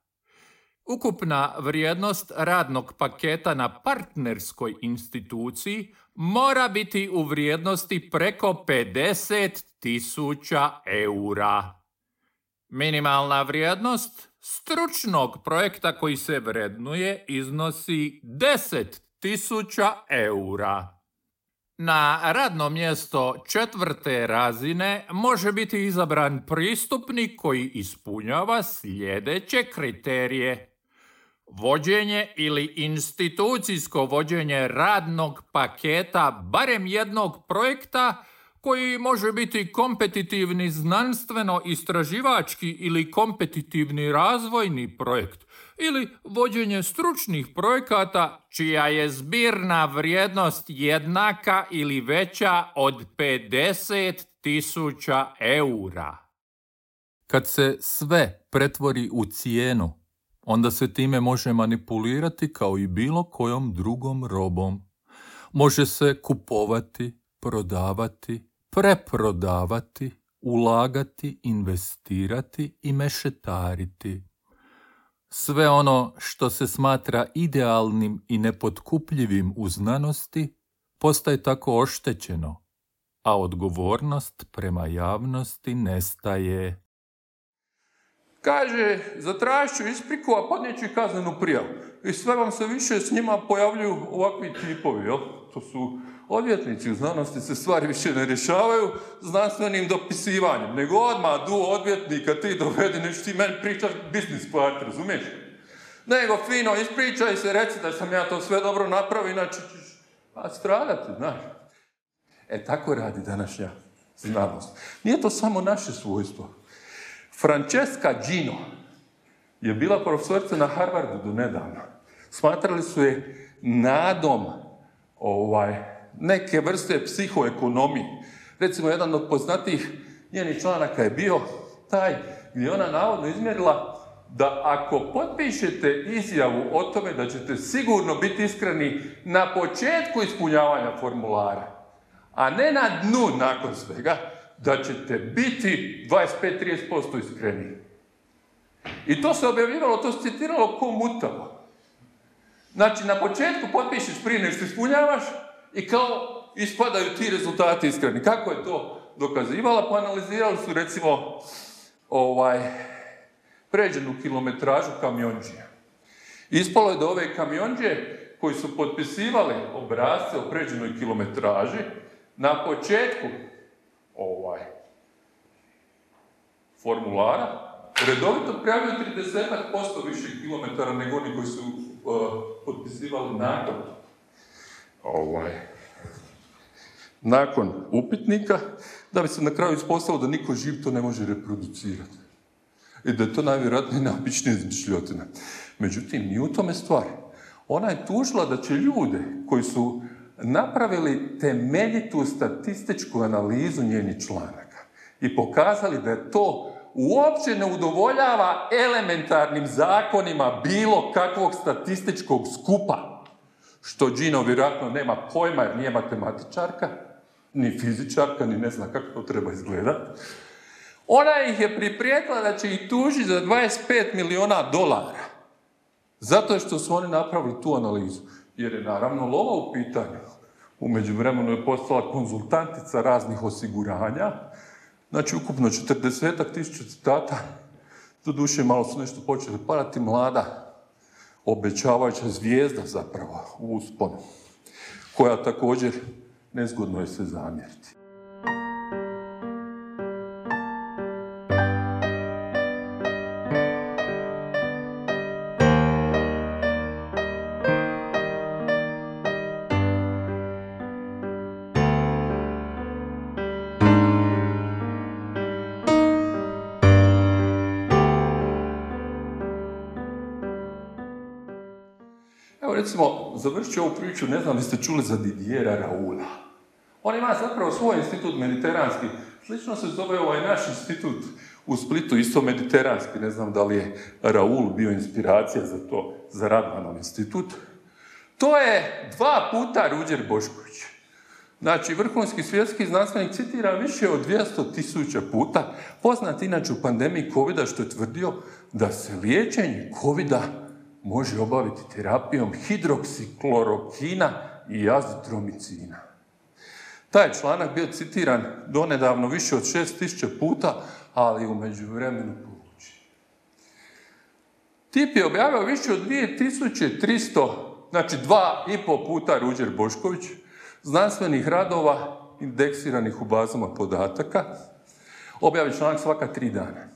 Ukupna vrijednost radnog paketa na partnerskoj instituciji mora biti u vrijednosti preko pedeset tisuća eura. Minimalna vrijednost stručnog projekta koji se vrednuje iznosi deset tisuća eura. Na radno mjesto četvrte razine može biti izabran pristupnik koji ispunjava sljedeće kriterije. Vođenje ili institucijsko vođenje radnog paketa barem jednog projekta koji može biti kompetitivni znanstveno-istraživački ili kompetitivni razvojni projekt ili vođenje stručnih projekata čija je zbirna vrijednost jednaka ili veća od pedeset tisuća eura. Kad se sve pretvori u cijenu, onda se time može manipulirati kao i bilo kojom drugom robom. Može se kupovati, prodavati, preprodavati, ulagati, investirati i mešetariti. Sve ono što se smatra idealnim i nepotkupljivim u znanosti postaje tako oštećeno, a odgovornost prema javnosti nestaje. Kaže, zatražit ću ispriku, a podnijet ću i kaznenu prijavu. I sve vam se više s njima pojavljuju ovakvi tipovi, jel? To su odvjetnici u znanosti, se stvari više ne rješavaju znanstvenim dopisivanjem, nego odmah du odvjetnika ti dovedi, neću ti meni pričat business part, razumiješ? Nego fino ispričaj se, reci da sam ja to sve dobro napravio, inače ćeš stradati, znaš. E, tako radi današnja znanost. Nije to samo naše svojstvo. Francesca Gino je bila profesorica na Harvardu do nedavno. Smatrali su je nadom ovaj, neke vrste psihoekonomije. Recimo, jedan od poznatijih njenih članaka je bio taj gdje ona navodno izmjerila da ako potpišete izjavu o tome da ćete sigurno biti iskreni na početku ispunjavanja formulara, a ne na dnu nakon svega, da ćete biti dvadeset pet do trideset posto iskreniji. I to se objavljivalo, to se citiralo ko mutavo. Znači, na početku potpišeš prije nego što ispunjavaš i kao ispadaju ti rezultati iskreni. Kako je to dokazivala? Pa analizirali su, recimo, ovaj, pređenu kilometražu kamionđija. Ispalo je da ove kamionđije koji su potpisivali obrasce o pređenoj kilometraži, na početku ovaj, formulara redovito prijavljaju trideset posto više kilometara nego oni koji su uh, potpisivali nakon, ovaj, nakon upitnika, da bi se na kraju ispostavilo da niko živ to ne može reproducirati. I da je to najvjerojatnije najobičnija izmišljotina. Međutim, nije u tome stvar. Ona je tužila da će ljude koji su napravili temeljitu statističku analizu njenih članaka i pokazali da je to uopće ne udovoljava elementarnim zakonima bilo kakvog statističkog skupa, što Gino vjerojatno nema pojma jer nije matematičarka, ni fizičarka, ni ne zna kako to treba izgledati. Ona ih je priprijetila da će ih tužiti za dvadeset pet milijuna dolara. Zato što su oni napravili tu analizu. Jer je naravno lova u pitanju. U međuvremenu je postala konzultantica raznih osiguranja. Znači, ukupno četrdesetak tisuća citata. Doduše, malo su nešto počeli padati, mlada, obećavajuća zvijezda zapravo u usponu, koja također nezgodno je se zamjeriti. Evo recimo, završit ću ovu priču, ne znam li ste čuli za Didiera Raoula. On ima zapravo svoj institut mediteranski. Slično se zove ovaj naš institut u Splitu, isto mediteranski. Ne znam da li je Raoul bio inspiracija za to, za Radmanov institut. To je dva puta Ruđer Bošković. Znači, vrhunski svjetski znanstvenik citira više od dvjesto tisuća puta, poznat inače u pandemiji kovida, što je tvrdio da se liječenje kovida može obaviti terapijom hidroksiklorokina i azitromicina. Taj članak bio citiran donedavno više od šest tisuća puta, ali u međuvremenu povučen. Tip je objavio više od dvije tisuće tristo, znači dva i po puta Ruđer Bošković, znanstvenih radova indeksiranih u bazama podataka. Objavi članak svaka tri dana.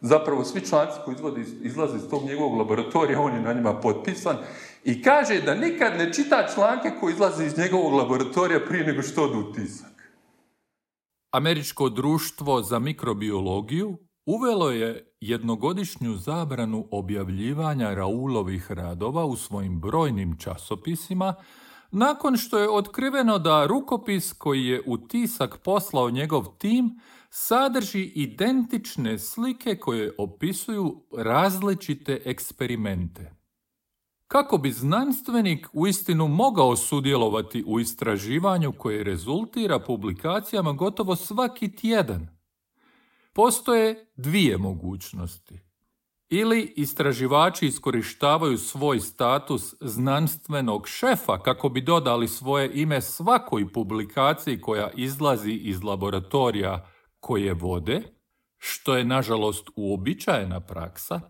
Zapravo svi članci koji izvode, izlaze iz tog njegovog laboratorija, on je na njima potpisan i kaže da nikad ne čita članke koji izlaze iz njegovog laboratorija prije nego što odu u tisak. Američko društvo za mikrobiologiju uvelo je jednogodišnju zabranu objavljivanja Raoulovih radova u svojim brojnim časopisima, nakon što je otkriveno da rukopis koji je u tisak poslao njegov tim sadrži identične slike koje opisuju različite eksperimente. Kako bi znanstvenik uistinu mogao sudjelovati u istraživanju koje rezultira publikacijama gotovo svaki tjedan? Postoje dvije mogućnosti. Ili istraživači iskorištavaju svoj status znanstvenog šefa kako bi dodali svoje ime svakoj publikaciji koja izlazi iz laboratorija koje vode, što je nažalost uobičajena praksa,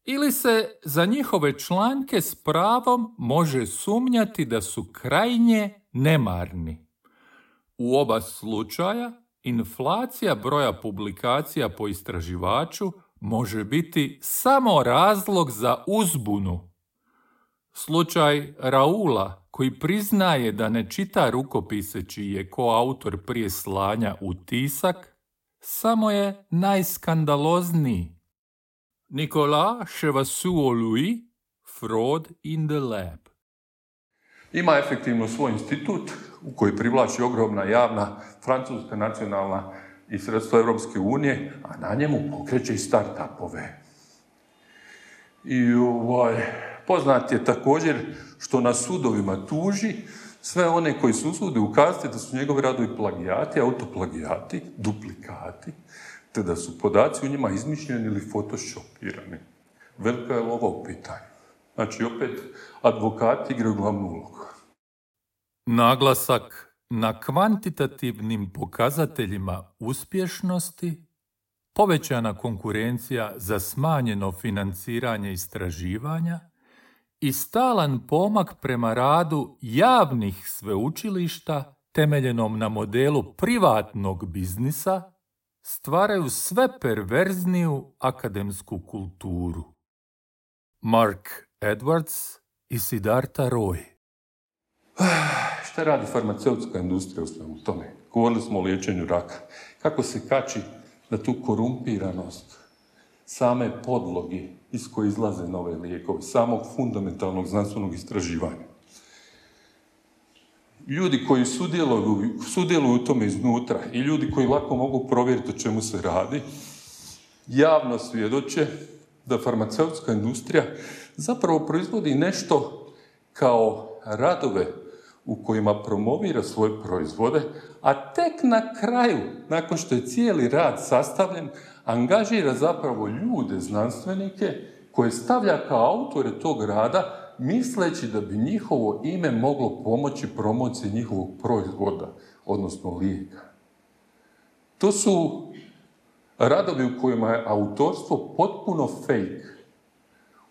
ili se za njihove članke s pravom može sumnjati da su krajnje nemarni. U oba slučaja, inflacija broja publikacija po istraživaču može biti samo razlog za uzbunu. Slučaj Raoula, koji priznaje da ne čita rukopise čiji je koautor prije slanja u tisak, samo je najskandalozniji. Nicolas Chevasseau-Louis, Fraud in the Lab. Ima efektivno svoj institut u koji privlači ogromna javna francuska nacionalna i sredstva Europske unije, a na njemu pokreće i start-upove. I ovaj, poznat je također što na sudovima tuži sve one koji se usude ukazati da su njegovi radovi plagijati, autoplagijati, duplikati, te da su podaci u njima izmišljeni ili photoshopirani. Velika je lova u pitanju. Znači, opet, advokati igraju glavnu ulogu. Naglasak na kvantitativnim pokazateljima uspješnosti, povećana konkurencija za smanjeno financiranje istraživanja i stalan pomak prema radu javnih sveučilišta temeljenom na modelu privatnog biznisa stvaraju sve perverzniju akademsku kulturu. Mark Edwards i Siddhartha Roy. Šta radi farmaceutska industrija u svemu tome? Govorili smo o liječenju raka. Kako se kači na tu korumpiranost same podlogi iz koje izlaze nove lijekove, samog fundamentalnog znanstvenog istraživanja. Ljudi koji sudjeluju, sudjeluju u tome iznutra i ljudi koji lako mogu provjeriti o čemu se radi, javno svjedoče da farmaceutska industrija zapravo proizvodi nešto kao radove u kojima promovira svoje proizvode, a tek na kraju, nakon što je cijeli rad sastavljen, angažira zapravo ljude, znanstvenike, koje stavlja kao autore tog rada, misleći da bi njihovo ime moglo pomoći promociji njihovog proizvoda, odnosno lijeka. To su radovi u kojima je autorstvo potpuno fake.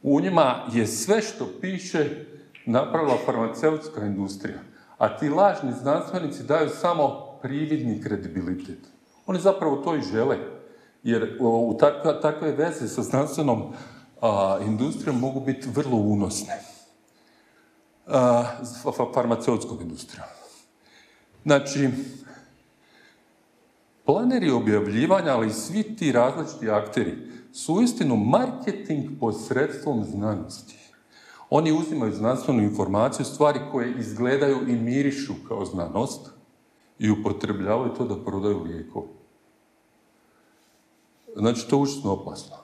U njima je sve što piše napravila farmaceutska industrija, a ti lažni znanstvenici daju samo prividni kredibilitet. Oni zapravo to i žele, jer u takve, takve veze sa znanstvenom a, industrijom mogu biti vrlo unosne. A, farmaceutskom industrijom. Znači, planeri objavljivanja, ali i svi ti različiti akteri, su uistinu marketing posredstvom znanosti. Oni uzimaju znanstvenu informaciju, stvari koje izgledaju i mirišu kao znanost i upotrebljavaju to da prodaju lijekove. Znači, to je užasno opasno.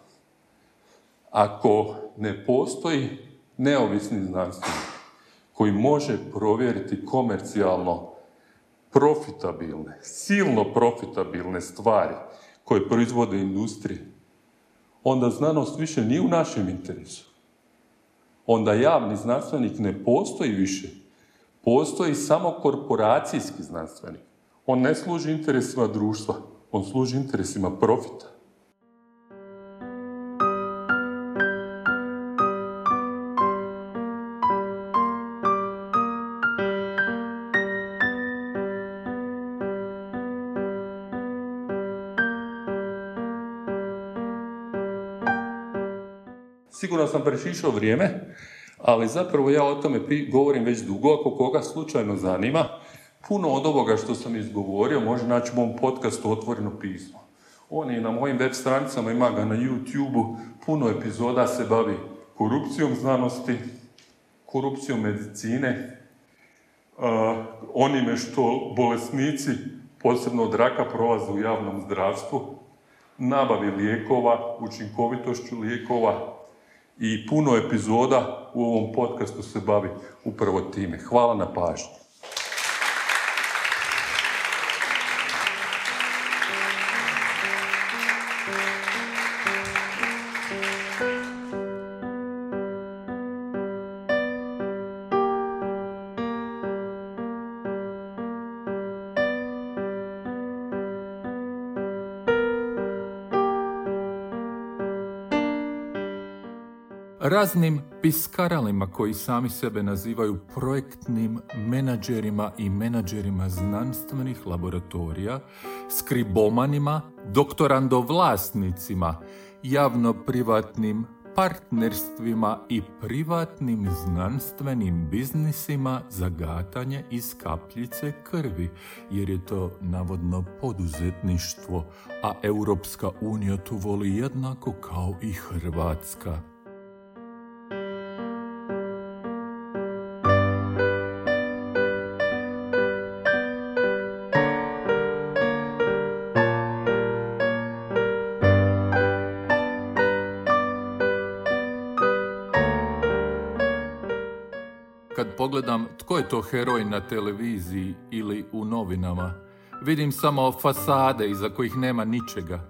Ako ne postoji neovisni znanstvenik koji može provjeriti komercijalno profitabilne, silno profitabilne stvari koje proizvode industrije, onda znanost više nije u našem interesu. Onda javni znanstvenik ne postoji više. Postoji samo korporacijski znanstvenik. On ne služi interesima društva, on služi interesima profita. Sigurno sam prešišao vrijeme, ali zapravo ja o tome govorim već dugo. Ako koga slučajno zanima, puno od ovoga što sam izgovorio može naći u mom podcastu Otvoreno pismo. On je na mojim web stranicama, ima ga na YouTube-u, puno epizoda se bavi korupcijom znanosti, korupcijom medicine, uh, onime što bolesnici, posebno od raka, prolaze u javnom zdravstvu, nabavi lijekova, učinkovitošću lijekova, i puno epizoda u ovom podcastu se bavi upravo time. Hvala na pažnji. Raznim piskaralima koji sami sebe nazivaju projektnim menadžerima i menadžerima znanstvenih laboratorija, skribomanima, doktorandovlasnicima, javno-privatnim partnerstvima i privatnim znanstvenim biznisima za gatanje iz kapljice krvi, jer je to navodno poduzetništvo, a Europska unija to voli jednako kao i Hrvatska. Kad pogledam tko je to heroj na televiziji ili u novinama, vidim samo fasade iza kojih nema ničega.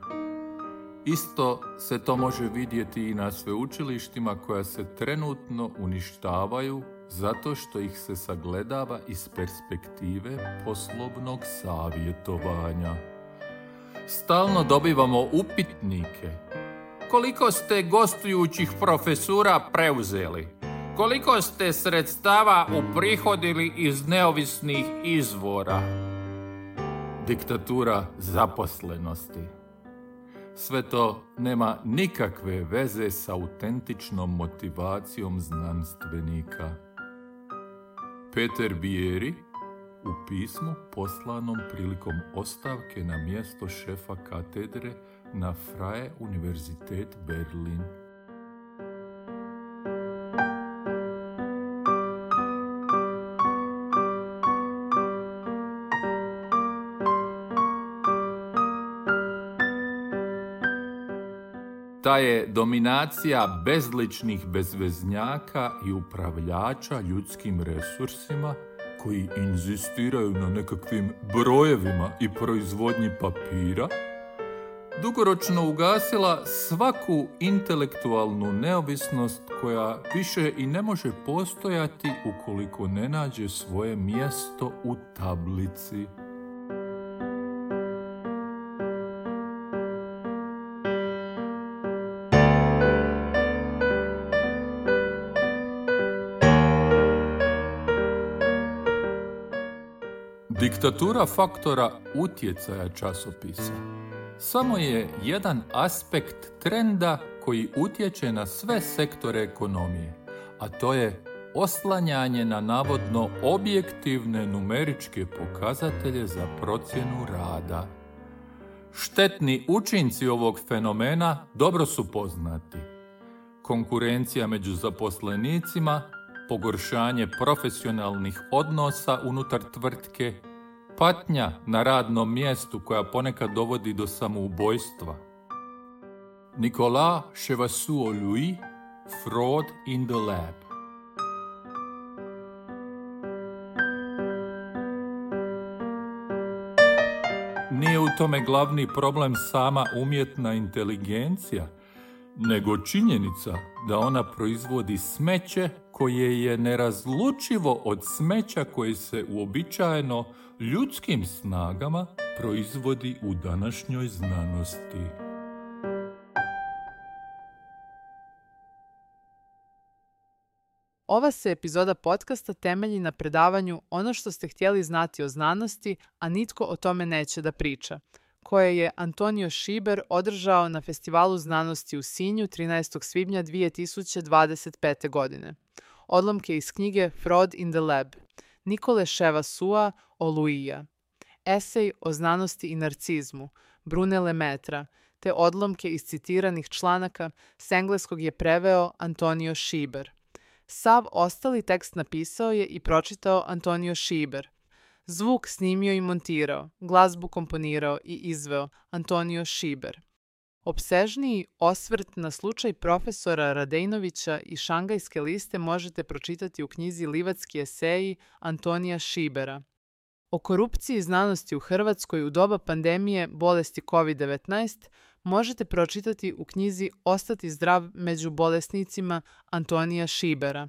Isto se to može vidjeti i na sveučilištima koja se trenutno uništavaju zato što ih se sagledava iz perspektive poslovnog savjetovanja. Stalno dobivamo upitnike. Koliko ste gostujućih profesura preuzeli? koliko ste sredstava uprihodili iz neovisnih izvora? Diktatura zaposlenosti. Sve to nema nikakve veze s autentičnom motivacijom znanstvenika. Peter Bieri u pismu poslanom prilikom ostavke na mjesto šefa katedre na Freie Universität Berlin. Ta je dominacija bezličnih bezveznjaka i upravljača ljudskim resursima koji inzistiraju na nekakvim brojevima i proizvodnji papira, dugoročno ugasila svaku intelektualnu neovisnost koja više i ne može postojati ukoliko ne nađe svoje mjesto u tablici. Diktatura faktora utjecaja časopisa samo je jedan aspekt trenda koji utječe na sve sektore ekonomije, a to je oslanjanje na navodno objektivne numeričke pokazatelje za procjenu rada. Štetni učinci ovog fenomena dobro su poznati. Konkurencija među zaposlenicima, pogoršanje profesionalnih odnosa unutar tvrtke, patnja na radnom mjestu koja ponekad dovodi do samoubojstva. Nicolas Chevassus-Louis, Fraud in the Lab. Nije u tome glavni problem sama umjetna inteligencija, nego činjenica da ona proizvodi smeće koje je nerazlučivo od smeća koje se uobičajeno ljudskim snagama proizvodi u današnjoj znanosti. Ova se epizoda podcasta temelji na predavanju Ono što ste htjeli znati o znanosti, a nitko o tome neće da priča, koje je Antonio Šiber održao na Festivalu znanosti u Sinju trinaestog svibnja dvije tisuće dvadeset pete. godine. Odlomke iz knjige Fraud in the Lab, Nikole Chevassus-Louisa, esej o znanosti i narcizmu, Brune Lemetra, te odlomke iz citiranih članaka s engleskog je preveo Antonio Šiber. Sav ostali tekst napisao je i pročitao Antonio Šiber. Zvuk snimio i montirao, glazbu komponirao i izveo Antonio Šiber. Opsežniji osvrt na slučaj profesora Radejnovića i Šangajske liste možete pročitati u knjizi Livatski eseji Antonija Šibera. O korupciji znanosti u Hrvatskoj u doba pandemije bolesti kovid devetnaest možete pročitati u knjizi Ostati zdrav među bolesnicima Antonija Šibera.